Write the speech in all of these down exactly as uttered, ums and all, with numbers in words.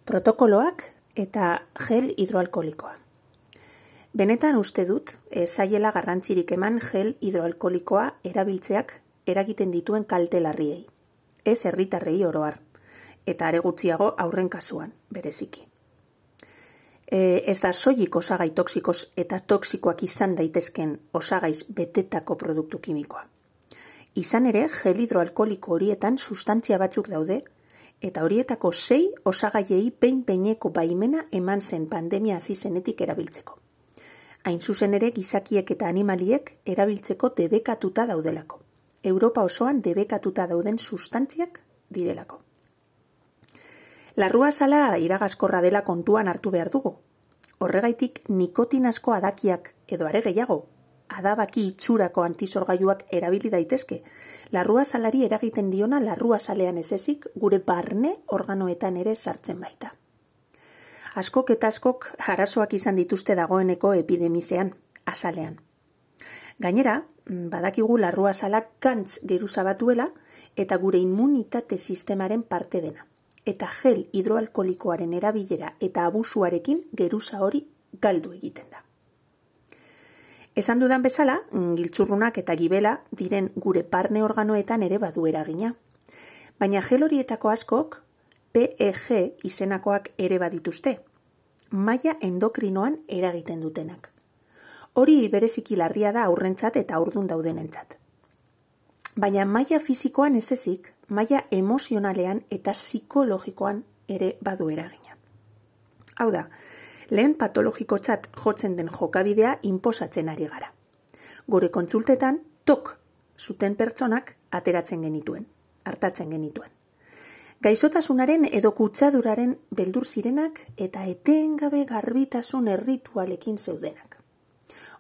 protokoloak eta gel hidroalkoholikoa. Benetan uste dut, ez zaiela garrantzirik eman gel hidroalkoholikoa erabiltzeak eragiten dituen kalte larriei. Ez herritarrei oro har, eta are gutxiago aurren kasuan, bereziki. E, ez da soilik osagai toxikos eta toxikoak izan daitezken osagaiz betetako produktu kimikoa. Izan ere, gel hidroalkoholiko horietan sustantzia batzuk daude, eta horietako sei osagaiei behin-behineko baimena eman zen pandemia hasi zenetik erabiltzeko. Hain zuzen ere gizakiek eta animaliek erabiltzeko debekatuta daudelako. Europa osoan debekatuta dauden sustantziak direlako. Larruazala iragazkorra dela kontuan hartu behar dugu. Horregaitik nikotinazko adakiak edo are gehiago, adabaki itxurako antisorgailuak erabili daitezke, larruazalari eragiten diona larruazalean ez ezik gure barne organoetan ere sartzen baita. Askok eta askok arazoak izan dituzte dagoeneko epidemizean, azalean. Gainera, badakigu larruazalak gantz geruza batuela eta gure immunitate sistemaren parte dena. Eta gel hidroalkoholikoaren erabilera eta abusuarekin geruza hori galdu egiten da. Esan dudan bezala, giltzurrunak eta gibela diren gure barne organoetan ere badu eragina. Baina gel horietako askok P E G izenakoak ere badituzte, maila endokrinoan eragiten dutenak. Hori bereziki larria da aurrentzat eta haurdun daudenentzat. Baina maila fisikoan ez ezik, maila emozionalean eta psikologikoan ere badu eragina. Hau da, lehen patologikotzat jotzen den jokabidea inposatzen ari gara. Gure kontsultetan tok zuten pertsonak ateratzen genituen, hartatzen genituen. Gaixotasunaren edo kutsaduraren beldur zirenak eta etengabe garbitasun erritualekin zeudenak.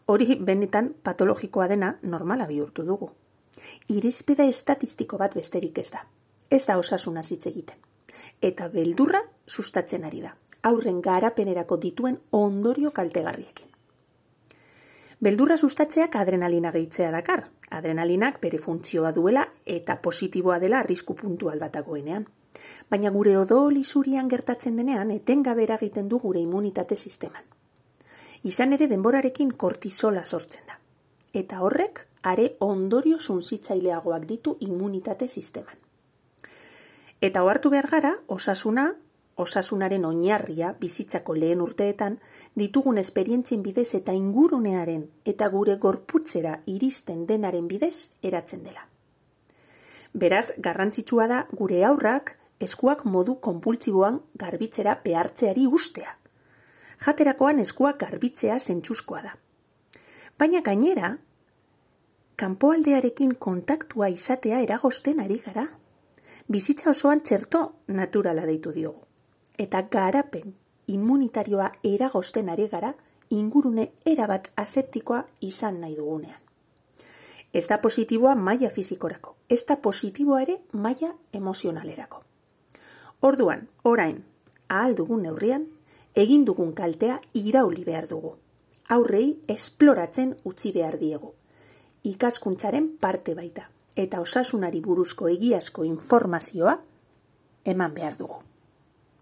Hori benetan patologikoa dena normala bihurtu dugu. Irizpide estatistiko bat besterik ez da. Ez da osasuna hitz egiten. Eta beldurra sustatzen ari da. Aurren garapenerako dituen ondorio kaltegarriekin. Beldurra sustatzeak adrenalina gehitzea dakar. Adrenalinak bere funtzioa duela eta positiboa dela arrisku puntual bat dagoenean. Baina gure odol isurian gertatzen denean etengabe eragiten du gure immunitate sisteman. Izan ere denborarekin kortisola sortzen da. Eta horrek are ondorio suntsitzaileagoak ditu immunitate sisteman. Eta ohartu behar gara, osasuna, osasunaren oinarria bizitzako lehen urteetan ditugun esperientzien bidez eta ingurunearen eta gure gorputzera iristen denaren bidez eratzen dela. Beraz, garrantzitsua da gure haurrak eskuak modu konpultsiboan garbitzera behartzeari ustea. Jaterakoan eskuak garbitzea zentzuzkoa da. Baina gainera, kanpoaldearekin kontaktua izatea eragozten ari gara. Bizitza osoan txerto naturala deitu diogu. Eta garapen immunitarioa eragozten ari gara ingurune erabat aseptikoa izan nahi dugunean. Ez da positiboa maila fisikorako, ez da positiboa ere maila emozionalerako. Orduan, orain, ahal dugun neurrian, egin dugun kaltea irauli behar dugu. Aurrei esploratzen utzi behar diegu. Ikaskuntzaren parte baita, eta osasunari buruzko egiazko informazioa eman behar dugu.